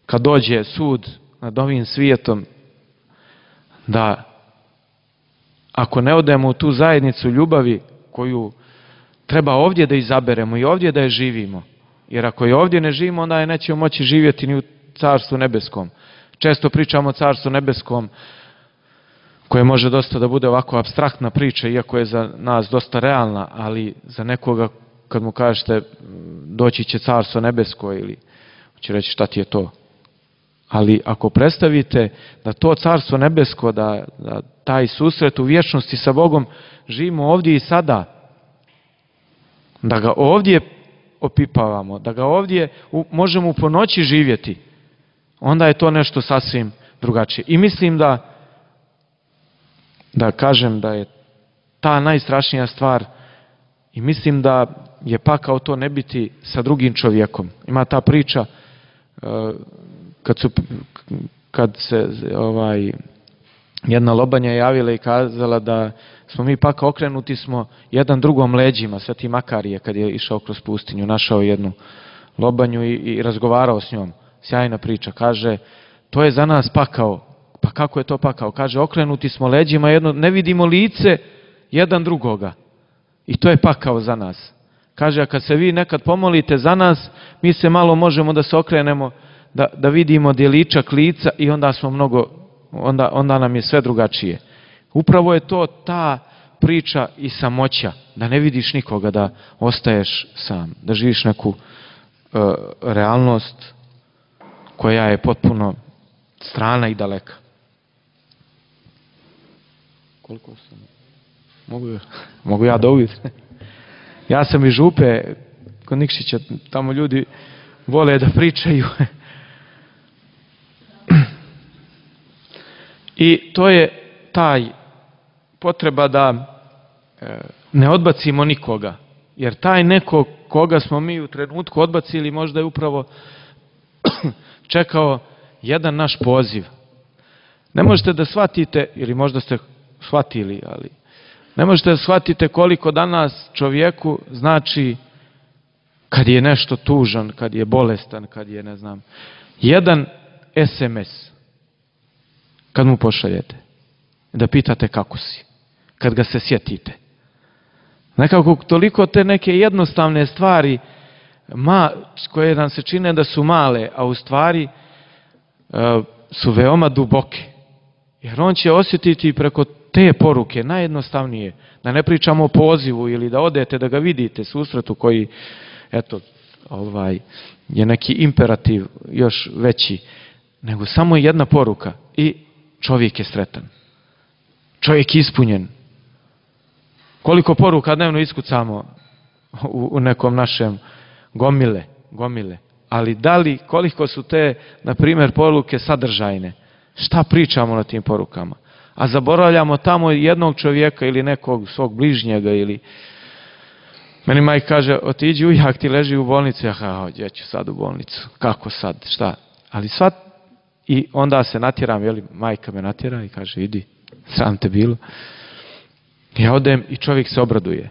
Speaker 3: kad dođe sud nad ovim svijetom, da ako ne odemo u tu zajednicu ljubavi koju treba ovdje da izaberemo i ovdje da je živimo, jer ako je ovdje ne živimo, onda je nećemo moći živjeti ni u Carstvu nebeskom. Često pričamo o Carstvu nebeskom, koje može dosta da bude ovako apstraktna priča, iako je za nas dosta realna, ali za nekoga kad mu kažete doći će Carstvo nebesko, ili će reći šta ti je to. Ali ako predstavite da to Carstvo nebesko, da, da taj susret u vječnosti sa Bogom živimo ovdje i sada, da ga ovdje opipavamo, da ga ovdje u, možemo u ponoći živjeti, onda je to nešto sasvim drugačije. I mislim da da kažem da je ta najstrašnija stvar i mislim da je pakao to ne biti sa drugim čovjekom. Ima ta priča kad, su, kad se ovaj, jedna lobanja je javila i kazala da smo mi pak okrenuti smo jedan drugom leđima, Sveti Makarije kad je išao kroz pustinju, našao jednu lobanju i, i razgovarao s njom. Sjajna priča, kaže, to je za nas pakao. Pa kako je to pakao? Kaže, okrenuti smo leđima, jedno, ne vidimo lice jedan drugoga. I to je pakao za nas. Kaže, a kad se vi nekad pomolite za nas, mi se malo možemo da se okrenemo, da, da vidimo djeličak lica i onda smo mnogo, onda, onda nam je sve drugačije. Upravo je to ta priča i samoća, da ne vidiš nikoga, da ostaješ sam, da živiš neku uh, realnost koja je potpuno strana i daleka. Koliko sam? Mogu, mogu ja dobiti? Ja sam iz Župe, kod Nikšića, tamo ljudi vole da pričaju. I to je taj potreba da ne odbacimo nikoga. Jer taj neko koga smo mi u trenutku odbacili možda je upravo čekao jedan naš poziv. Ne možete da shvatite, ili možda ste shvatili, ali ne možete da shvatite koliko danas čovjeku znači kad je nešto tužan, kad je bolestan, kad je, ne znam, jedan es em es kad mu pošaljete da pitate kako si, kad ga se sjetite. Nekako toliko te neke jednostavne stvari ma, koje nam se čine da su male, a u stvari uh, su veoma duboke. Jer on će osjetiti preko te poruke, najjednostavnije, da ne pričamo o pozivu ili da odete da ga vidite, susretu koji, eto, ovaj, je neki imperativ još veći, nego samo jedna poruka i čovjek je sretan. Čovjek je ispunjen. Koliko poruka dnevno iskucamo u, u nekom našem gomile, gomile. Ali da li, koliko su te, na primjer, poruke sadržajne? Šta pričamo na tim porukama? A zaboravljamo tamo jednog čovjeka ili nekog svog bližnjega ili... Meni majka kaže, otiđi ujak, ti leži u bolnici. Aha, ja ću sad u bolnicu. Kako sad? Šta? Ali svat... I onda se natjeram, jeli, majka me natjera i kaže, idi, sram te bilo. Ja odem i čovjek se obraduje.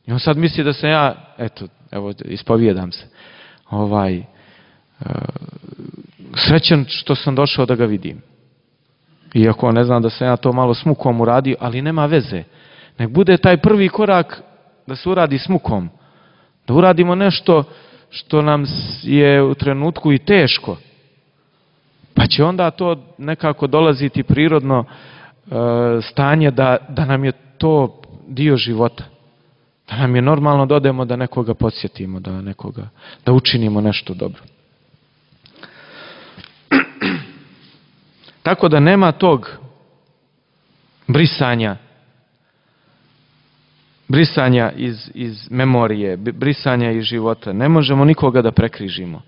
Speaker 3: I on sad misli da sam ja, eto, evo, ispovijedam se, ovaj, uh, srećan što sam došao da ga vidim. Iako ne znam da sam ja to malo s mukom uradio, ali nema veze. Nek bude taj prvi korak da se uradi s mukom. Da uradimo nešto što nam je u trenutku i teško. Pa će onda to nekako dolaziti prirodno e, stanje da, da nam je to dio života. Da nam je normalno da odemo da nekoga podsjetimo, da nekoga, da učinimo nešto dobro. Tako da nema tog brisanja, brisanja iz, iz memorije, brisanja iz života. Ne možemo nikoga da prekrižimo.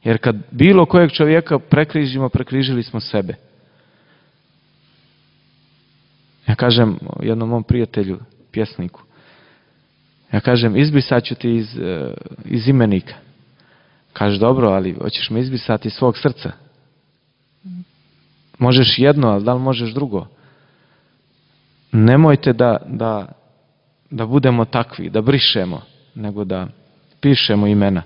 Speaker 3: Jer kad bilo kojeg čovjeka prekrižimo, prekrižili smo sebe. Ja kažem jednom mom prijatelju, pjesniku, ja kažem, izbrisat ću ti iz, iz imenika. Kaže, dobro, ali hoćeš me izbrisati iz svog srca. Možeš jedno, ali da li možeš drugo? Nemojte da, da, da budemo takvi, da brišemo, nego da pišemo imena,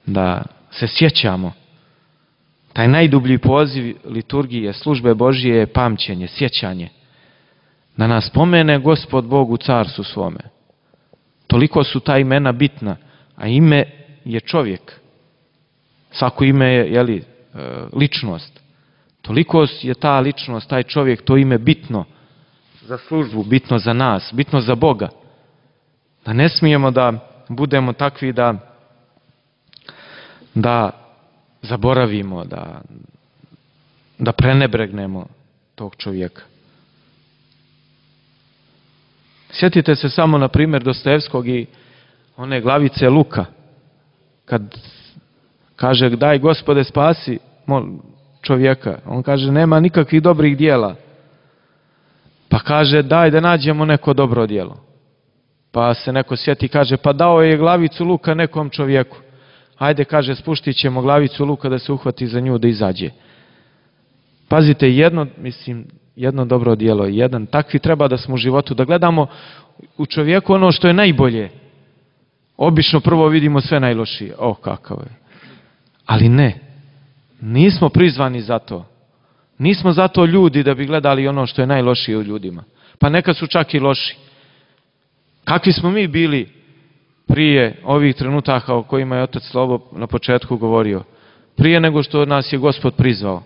Speaker 3: da se sjećamo. Taj najdublji poziv liturgije, službe Božije je pamćenje, sjećanje. Da nas spomene Gospod Bog u carstvu svome. Toliko su ta imena bitna, a ime je čovjek. Svako ime je, jeli, ličnost. Toliko je ta ličnost, taj čovjek, to ime bitno za službu, bitno za nas, bitno za Boga. Da ne smijemo da budemo takvi da da zaboravimo, da, da prenebregnemo tog čovjeka. Sjetite se samo, na primjer, Dostojevskog i one glavice Luka, kad kaže, daj Gospode spasi čovjeka. On kaže, nema nikakvih dobrih dijela. Pa kaže, daj da nađemo neko dobro djelo. Pa se neko sjeti i kaže, pa dao je glavicu luka nekom čovjeku. Ajde, kaže, spuštit ćemo glavicu luka da se uhvati za nju da izađe. Pazite, jedno, mislim, jedno dobro djelo, jedan. Takvi treba da smo u životu, da gledamo u čovjeku ono što je najbolje. Obično prvo vidimo sve najlošije. O, kakav je. Ali ne. Nismo prizvani za to. Nismo zato ljudi da bi gledali ono što je najlošije u ljudima. Pa neka su čak i loši. Kakvi smo mi bili prije ovih trenutaka o kojima je Otac Slobo na početku govorio? Prije nego što nas je Gospod prizvao.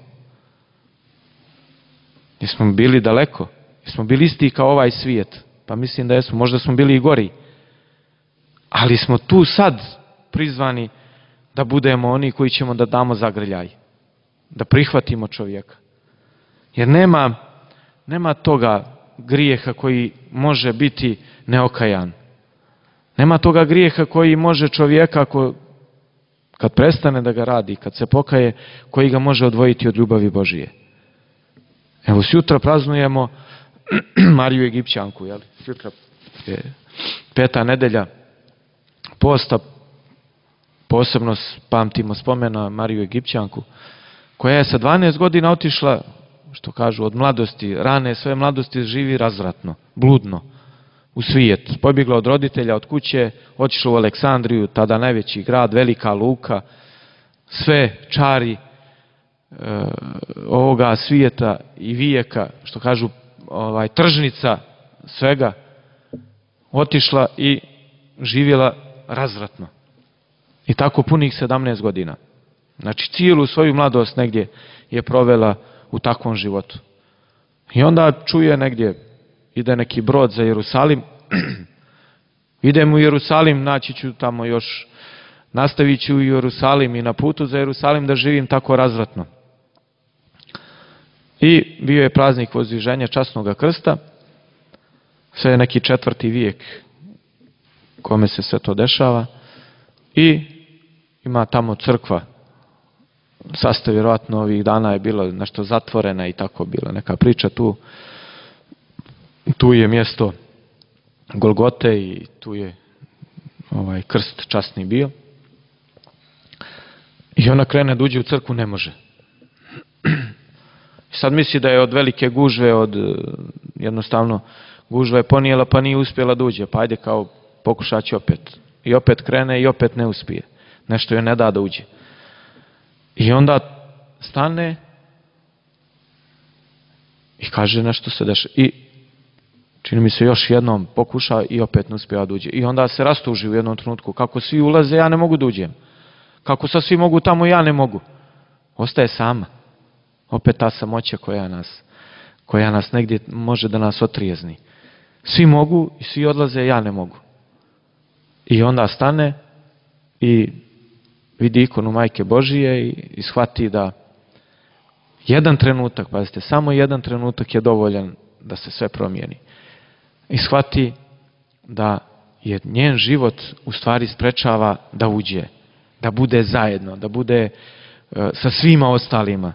Speaker 3: Jesmo bili daleko? Jesmo bili isti kao ovaj svijet? Pa mislim da jesmo. Možda smo bili i gori. Ali smo tu sad prizvani da budemo oni koji ćemo da damo zagrljaj. Da prihvatimo čovjeka. Jer nema, nema toga grijeha koji može biti neokajan. Nema toga grijeha koji može čovjeka, ako, kad prestane da ga radi, kad se pokaje, koji ga može odvojiti od ljubavi Božije. Evo, sutra praznujemo Mariju Egipćanku. Jel? Sutra je peta nedelja posta. Posebno pamtimo spomena Mariju Egipćanku, koja je sa dvanaest godina otišla, što kažu, od mladosti, rane svoje mladosti živi razvratno, bludno, u svijet. Pobjegla od roditelja, od kuće, otišla u Aleksandriju, tada najveći grad, velika luka, sve čari e, ovoga svijeta i vijeka, što kažu, ovaj, tržnica svega, otišla i živjela razvratno. I tako punih sedamnaest godina. Znači cijelu svoju mladost negdje je provela u takvom životu. I onda čuje negdje, ide neki brod za Jerusalim, idem u Jerusalim, naći ću tamo još, nastavit ću u Jerusalim i na putu za Jerusalim da živim tako razvratno. I bio je praznik Vozdviženja časnoga krsta, sve je neki četvrti vijek kome se sve to dešava i ima tamo crkva. Sastav vjerojatno ovih dana je bilo nešto zatvorena i tako bila neka priča tu. Tu je mjesto Golgote i tu je ovaj krst časni bio. I ona krene da uđe u crkvu, ne može. Sad misli da je od velike gužve, od jednostavno gužva je ponijela pa nije uspjela da uđe. Pa ajde kao pokušat će opet. I opet krene i opet ne uspije. Nešto joj ne da da uđe. I onda stane i kaže nešto se dešava. I čini mi se još jednom pokuša i opet ne uspije da uđe. I onda se rastuži u jednom trenutku. Kako svi ulaze, ja ne mogu da uđem. Kako sad svi mogu tamo, ja ne mogu. Ostaje sama. Opet ta samoća koja nas, koja nas negdje može da nas otrijezni. Svi mogu i svi odlaze, ja ne mogu. I onda stane i vidi ikonu Majke Božije i, i shvati da jedan trenutak, pazite, samo jedan trenutak je dovoljan da se sve promijeni. I shvati da je njen život u stvari sprečava da uđe, da bude zajedno, da bude e, sa svima ostalima.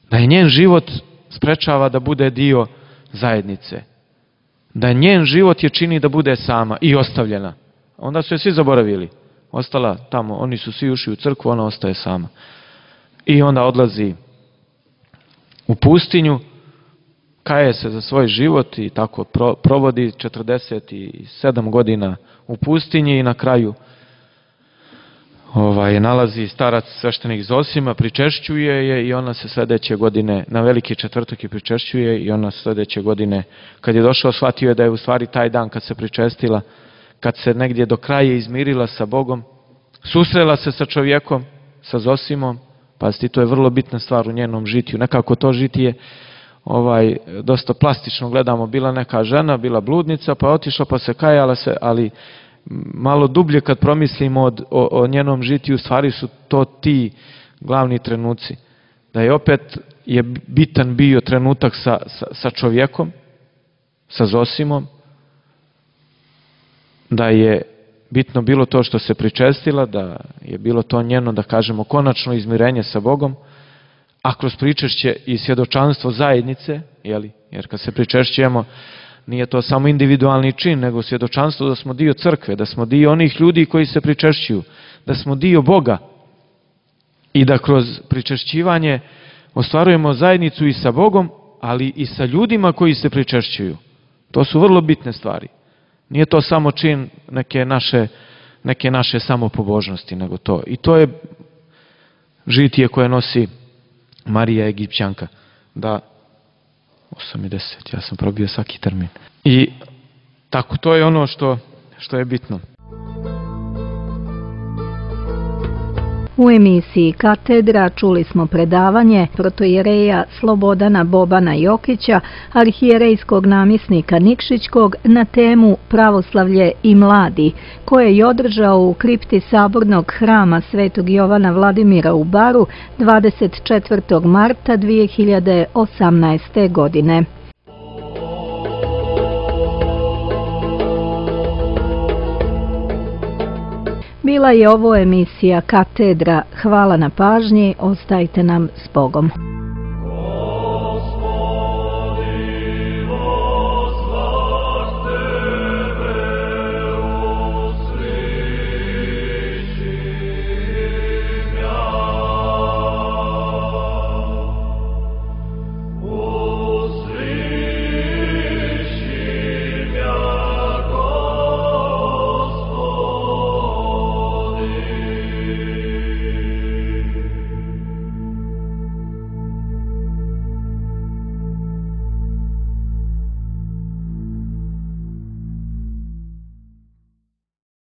Speaker 3: Da je njen život sprečava da bude dio zajednice. Da njen život je čini da bude sama i ostavljena. Onda su je svi zaboravili. Ostala tamo, oni su svi ušli u crkvu, ona ostaje sama. I onda odlazi u pustinju, kaje se za svoj život i tako pro, provodi četrdeset sedam godina u pustinji i na kraju ovaj, nalazi starac sveštenik Zosima, pričešćuje je i ona se sljedeće godine, na veliki četvrtak je pričešćuje i ona sljedeće godine, kad je došao, shvatio je da je u stvari taj dan kad se pričestila, kad se negdje do kraja izmirila sa Bogom, susrela se sa čovjekom, sa Zosimom, pazite, to je vrlo bitna stvar u njenom žitiju. Nekako to žitije ovaj, dosta plastično gledamo, bila neka žena, bila bludnica, pa otišla, pa se kajala se, ali malo dublje kad promislimo od, o, o njenom žitiju, stvari su to ti glavni trenuci. Da je opet je bitan bio trenutak sa, sa, sa čovjekom, sa Zosimom, da je bitno bilo to što se pričestila, da je bilo to njeno, da kažemo, konačno izmirenje sa Bogom, a kroz pričešće i svjedočanstvo zajednice, jeli? Jer kad se pričešćujemo, nije to samo individualni čin, nego svjedočanstvo da smo dio crkve, da smo dio onih ljudi koji se pričešćuju, da smo dio Boga i da kroz pričešćivanje ostvarujemo zajednicu i sa Bogom ali i sa ljudima koji se pričešćuju. To su vrlo bitne stvari. Nije to samo čin neke naše, neke naše samopobožnosti, nego to. I to je žitije koje nosi Marija Egipćanka. Da, osam i deset, ja sam probio svaki termin. I tako, to je ono što, što je bitno.
Speaker 2: U emisiji Katedra čuli smo predavanje protoijereja Slobodana Bobana Jokića, arhijerejskog namjesnika Nikšićkog, na temu Pravoslavlje i mladi, koje je održao u kripti Sabornog hrama Svetog Jovana Vladimira u Baru dvadeset četvrtog marta dvije hiljade osamnaeste. godine. Bila je ovo emisija Katedra. Hvala na pažnji, ostajte nam s Bogom.